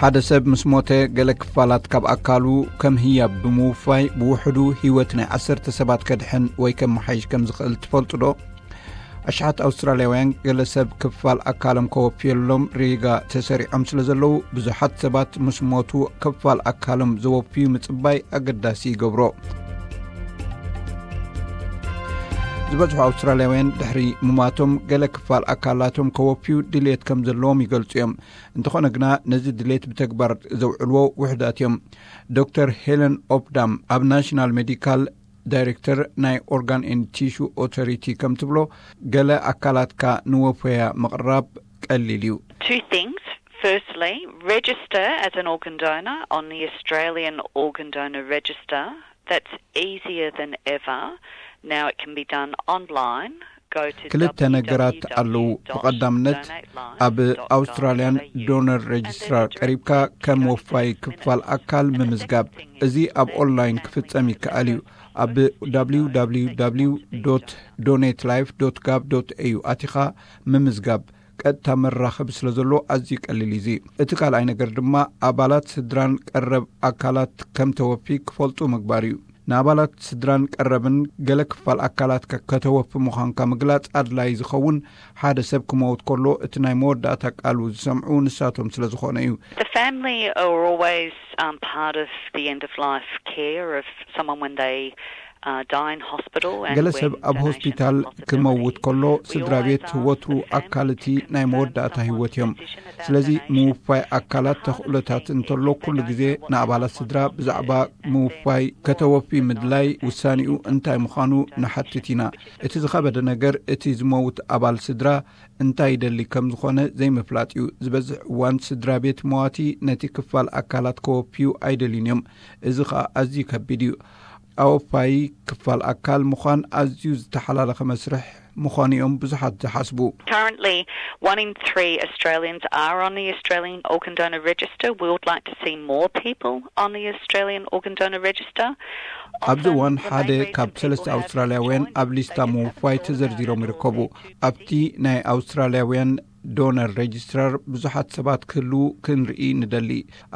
ሓደ ሰብ ምስ ሞተ፣ ገለ ክፋላት ካብ ኣካሉ ከም ህያብ ብምውፋይ፣ ብውሕዱ ህይወት ናይ ዓሰርተ ሰባት ከድሕን ወይ ከመሓይሽ ከም ዝኽእል ትፈልጡ ዶ? ኣሽሓት ኣውስትራልያውያን፣ ገለ ሰብ ክፋል ኣካሎም ከወፍየሎም ሪጋ ተሰሪዖም ስለ ዘለዉ፣ ብዙሓት ሰባት ምስ ሞቱ ክፋል ኣካሎም ዘወፍዩ ምጽባይ ኣገዳሲ ይገብሮ። ዝበዝሑ ኣውስትራልያውያን ድሕሪ ምማቶም፣ ገለ ክፋል ኣካላቶም ከወፍዩ ድልየት ከም ዘለዎም ይገልጹ እዮም። እንተኾነ ግና፣ ነዚ ድሌት ብተግባር ዘውዕልዎ ውሕዳት እዮም። ዶክተር ሄለን ኦፕዳም፣ ኣብ ናሽናል ሜዲካል ዳይሬክተር ናይ ኦርጋን ኤንድ ቲሹ ኦቶሪቲ፣ ከም ትብሎ፣ ገለ ኣካላትካ ንወፈያ ምቕራብ ቀሊል እዩ። Two things. Firstly, register as an organ donor on the Australian Organ Donor Register. That's easier than ever. Now it can be done online. Go to ክልተ ነገራት ኣለዉ። ብቐዳምነት፣ ኣብ ኣውስትራልያን ዶነር ሬጅስትራር ቀሪብካ ከም ወፋይ ክፋል ኣካል ምምዝጋብ። እዚ ኣብ ኦንላይን ክፍጸም ይከኣል እዩ። ኣብ www donate life gov au ኣቲኻ ምምዝጋብ፣ ቀጥታ መራኸቢ ስለ ዘሎ ኣዝዩ ቀሊል እዩ። እዚ እቲ ካልኣይ ነገር ድማ፣ ኣባላት ስድራን ቀረብ ኣካላት ከም ተወፊ ክፈልጡ ምግባር እዩ። ንኣባላት ስድራን ቀረብን፣ ገለ ክፋል ኣካላትካ ከተወፊ ምዃንካ ምግላጽ ኣድላዪ ዝኸውን፣ ሓደ ሰብ ክመውት ከሎ እቲ ናይ መወዳእታ ቃሉ ዝሰምዑ ንሳቶም ስለ ዝኾነ እዩ። The family are always um, part of the end of life care of someone when they uh, die in hospital. And ገለ when ሰብ ኣብ donation ሆስፒታል is a possibility, ክመውት ከሎ፣ we ስድራ ቤት always ask ወትሩ the family ኣካል እቲ to ናይ confirm መወዳእታ someone's ህይወት እዮም። decision about ስለዚ donation. ምውፋይ ኣካላት ተኽእሎታት እንተሎ፣ ኩሉ ግዜ ንኣባላት ስድራ ብዛዕባ ምውፋይ ከተወፊ ምድላይ ውሳኔኡ እንታይ ምዃኑ ንሓትት ኢና። እቲ ዝኸበደ ነገር፣ እቲ ዝመውት ኣባል ስድራ እንታይ ይደሊ ከም ዝኾነ ዘይምፍላጥ እዩ። ዝበዝሕ እዋን ስድራ ቤት መዋቲ ነቲ ክፋል ኣካላት ከወፍዩ ኣይደልዩን እዮም። እዚ ኸኣ ኣዝዩ ከቢድ እዩ። ኣወፋይ ክፋል ኣካል ምዃን ኣዝዩ ዝተሓላለኸ መስርሕ ምዃኑ እዮም ብዙሓት ዝሓስቡ። Currently, one in three Australians are on the Australian Organ Donor Register. We would like to see more people on the Australian Organ Donor Register. ኣብዚ እዋን ሓደ ካብ ሰለስተ ኣውስትራልያውያን ኣብ ሊስታ ምውፋይ ተዘርዚሮም ይርከቡ። ኣብቲ ናይ ኣውስትራልያውያን ዶነር ሬጅስትራር ብዙሓት ሰባት ክህልዉ ክንርኢ ንደሊ።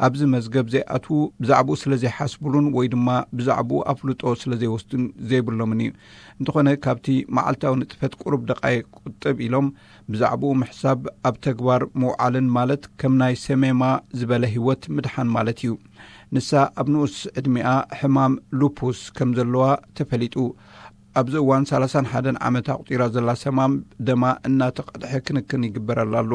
ኣብዚ መዝገብ ዘይኣትዉ፣ ብዛዕባኡ ስለ ዘይሓስቡሉን ወይ ድማ ብዛዕባኡ ኣፍልጦ ስለ ዘይወስዱን ዘይብሎምን እዩ። እንተኾነ፣ ካብቲ መዓልታዊ ንጥፈት ቁሩብ ደቃይቅ ቁጥብ ኢሎም ብዛዕባኡ ምሕሳብ፣ ኣብ ተግባር ምውዓልን ማለት፣ ከም ናይ ሰሜማ ዝበለ ህይወት ምድሓን ማለት እዩ። ንሳ ኣብ ንኡስ ዕድሚኣ ሕማም ሉፑስ ከም ዘለዋ ተፈሊጡ። ኣብዚ እዋን ሰላሳን ሓደን ዓመት ኣቑጺራ ዘላ ሰማም፣ ደማ እናተቐድሐ ክንክን ይግበረላ ኣሎ።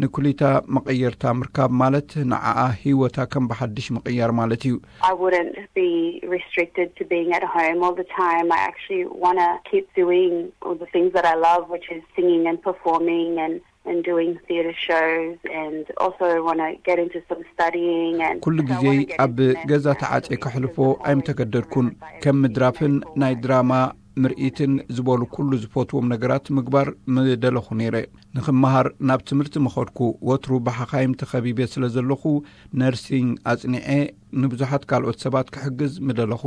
ንኩሊታ መቐየርታ ምርካብ ማለት፣ ንዓኣ ህይወታ ከም ብሓድሽ ምቕያር ማለት እዩ። I wouldn't be restricted to being at home all the time. I actually want to keep doing all the things that I love, which is singing and performing and, and doing theatre shows, and also want to get into some studying. And ኩሉ ግዜ ኣብ ገዛ ተዓጽየ ከሕልፎ ኣይምተገደድኩን። ከም ምድራፍን ናይ ድራማ ምርኢትን ዝበሉ ኩሉ ዝፈትዎም ነገራት ምግባር ምደለኹ ነይረ። ንኽመሃር ናብ ትምህርቲ ምኸድኩ። ወትሩ ብሓኻይም ተኸቢበ ስለ ዘለኹ፣ ነርሲንግ ኣጽኒዐ ንብዙሓት ካልኦት ሰባት ክሕግዝ ምደለኹ።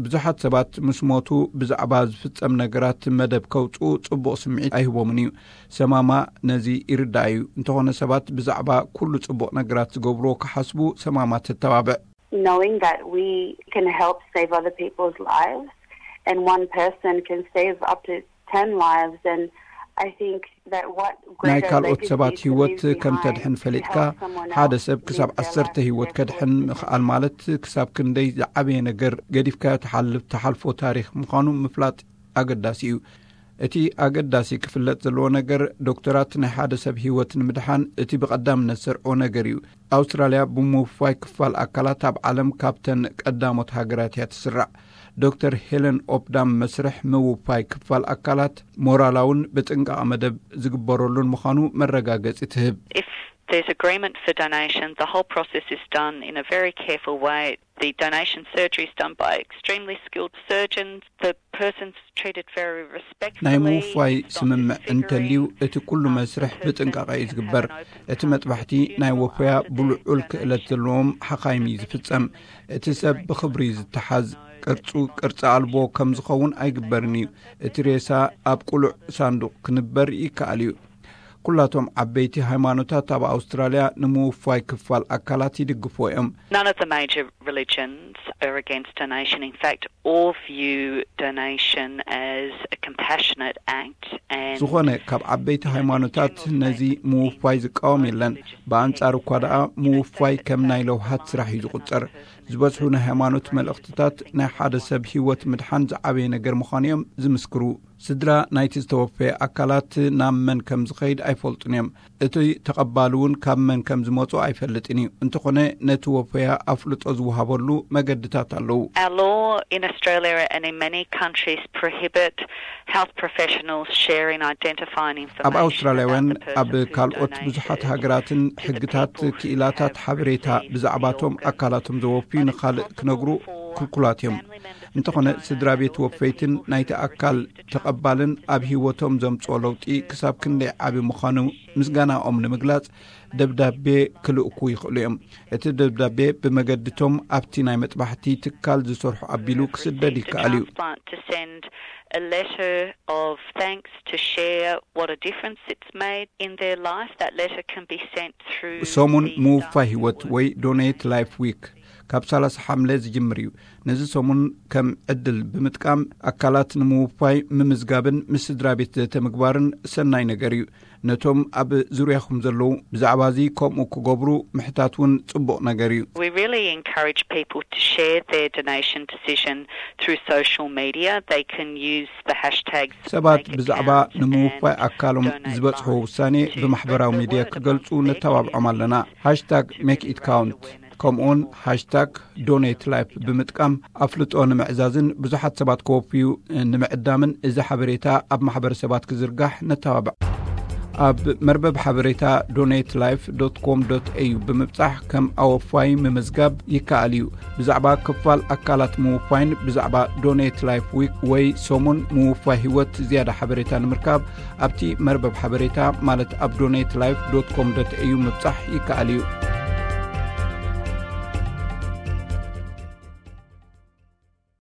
ብዙሓት ሰባት ምስ ሞቱ ብዛዕባ ዝፍጸም ነገራት መደብ ከውጽኡ ጽቡቕ ስምዒት ኣይህቦምን እዩ። ሰማማ ነዚ ይርዳእ እዩ። እንተኾነ፣ ሰባት ብዛዕባ ኩሉ ጽቡቕ ነገራት ዝገብርዎ ክሓስቡ ሰማማ ተተባብዕ። Knowing that we can help save other people's lives and one person can save up to ten lives, and I think that what ናይ greater ካልኦት legacy ሰባት to ህይወት leave ከም behind ተድሕን to ፈሊጥካ፣ help someone ሓደ else ሰብ ክሳብ live their ዓሰርተ life ህይወት to their ከድሕን fullest ምኽኣል ማለት፣ ክሳብ ክንደይ ዝዓበየ ነገር ገዲፍካዮ ትሓልፍ፣ ትሓልፎ ታሪኽ ምዃኑ ምፍላጥ ኣገዳሲ እዩ። እቲ ኣገዳሲ ክፍለጥ ዘለዎ ነገር፣ ዶክተራት ናይ ሓደ ሰብ ህይወት ንምድሓን እቲ ብቐዳምነት ዘርኦ ነገር እዩ። ኣውስትራልያ ብምውፋይ ክፋል ኣካላት ኣብ ዓለም ካብተን ቀዳሞት ሃገራት እያ ትስራዕ። ዶክተር ሄለን ኦፕዳም፣ መስርሕ ምውፋይ ክፋል ኣካላት ሞራላውን ብጥንቃቐ መደብ ዝግበረሉን ምዃኑ መረጋገጺ ትህብ። If there's agreement for donation, the whole process is done in a very careful way. The donation surgery is done by extremely skilled surgeons. The person's treated very respectfully. ናይ ምውፋይ It's not ስምምዕ disfiguring. እንተልዩ፣ እቲ ኩሉ መስርሕ ብጥንቃቐ እዩ ዝግበር። እቲ መጥባሕቲ ናይ ወፈያ ብልዑል ክእለት ዘለዎም ሓኻይም እዩ ዝፍጸም። እቲ ሰብ ብኽብሪ እዩ ዝተሓዝ። ቅርጹ ቅርጺ ኣልቦ ከም ዝኸውን ኣይግበርን እዩ። እቲ ሬሳ ኣብ ቅሉዕ ሳንዱቕ ክንበር ይከኣል እዩ። ኩላቶም ዓበይቲ ሃይማኖታት ኣብ ኣውስትራልያ ንምውፋይ ክፋል ኣካላት ይድግፉ እዮም። None of the major religions are against donation. In fact, all view donation as a compassionate act. And ዝኾነ ካብ ዓበይቲ ሃይማኖታት ነዚ ምውፋይ ዝቃወም የለን። ብኣንጻር እኳ ደኣ ምውፋይ ከም ናይ ለውሃት ስራሕ እዩ ዝቑጸር። ዝበዝሑ ናይ ሃይማኖት መልእኽትታት ናይ ሓደ ሰብ ህይወት ምድሓን ዝዓበየ ነገር ምዃኑ እዮም ዝምስክሩ። ስድራ ናይቲ ዝተወፈየ ኣካላት ናብ መን ከም ዝኸይድ ኣይፈልጡን እዮም። እቲ ተቐባሊ እውን ካብ መን ከም ዝመጹ ኣይፈልጥን እዩ። እንተኾነ ነቲ ወፈያ ኣፍልጦ ዝወሃበሉ መገድታት ኣለዉ። Our law in Australia and in many countries prohibit health professionals sharing identifying information. ኣብ ኣውስትራልያውያን ኣብ ካልኦት ብዙሓት ሃገራትን ሕግታት ክኢላታት ሓበሬታ ብዛዕባቶም ኣካላቶም ዘወፍዩ ንኻልእ ክነግሩ ክልኩላት እዮም። እንተኾነ ስድራ ቤት ወፈይትን ናይቲ ኣካል ተቐባልን ኣብ ህይወቶም ዘምጽኦ ለውጢ ክሳብ ክንደይ ዓቢ ምዃኑ ምስጋናኦም ንምግላጽ ደብዳቤ ክልእኩ ይኽእሉ እዮም። እቲ ደብዳቤ ብመገድቶም ኣብቲ ናይ መጥባሕቲ ትካል ዝሰርሑ ኣቢሉ ክስደድ ይከኣል እዩ። To send a letter of thanks to share what a difference it's made in their life. That letter can be sent through ሰሙን ምውፋይ ህይወት ወይ ዶኔት ላይፍ ዊክ ካብ ሰላሳ ሓምለ ዝጅምር እዩ። ነዚ ሰሙን ከም ዕድል ብምጥቃም ኣካላት ንምውፋይ ምምዝጋብን ምስ ስድራ ቤት ዘተ ምግባርን ሰናይ ነገር እዩ። ነቶም ኣብ ዙርያኹም ዘለዉ ብዛዕባ እዚ ከምኡ ክገብሩ ምሕታት እውን ጽቡቕ ነገር እዩ። We really encourage people to share their donation decision through social media. They can use the hashtags. ሰባት ብዛዕባ ንምውፋይ ኣካሎም ዝበጽሕዎ ውሳኔ ብማሕበራዊ ሚድያ ክገልጹ ነተባብዖም ኣለና። ሃሽታግ ሜክ ኢት ካውንት ከምኡውን ሃሽታግ ዶኔት ላይፍ ብምጥቃም ኣፍልጦ ንምዕዛዝን ብዙሓት ሰባት ክወፍዩ ንምዕዳምን እዚ ሓበሬታ ኣብ ማሕበረሰባት ክዝርጋሕ ነተባብዕ። ኣብ መርበብ ሓበሬታ ዶኔት ላይፍ ዶት ኮም ዶት ኤዩ ብምብጻሕ ከም ኣወፋይ ምምዝጋብ ይከኣል እዩ። ብዛዕባ ክፋል ኣካላት ምውፋይን ብዛዕባ ዶኔት ላይፍ ዊክ ወይ ሰሙን ምውፋይ ህይወት ዝያዳ ሓበሬታ ንምርካብ ኣብቲ መርበብ ሓበሬታ ማለት ኣብ ዶኔት ላይፍ ዶት ኮም ዶት ኤዩ ምብጻሕ ይከኣል እዩ።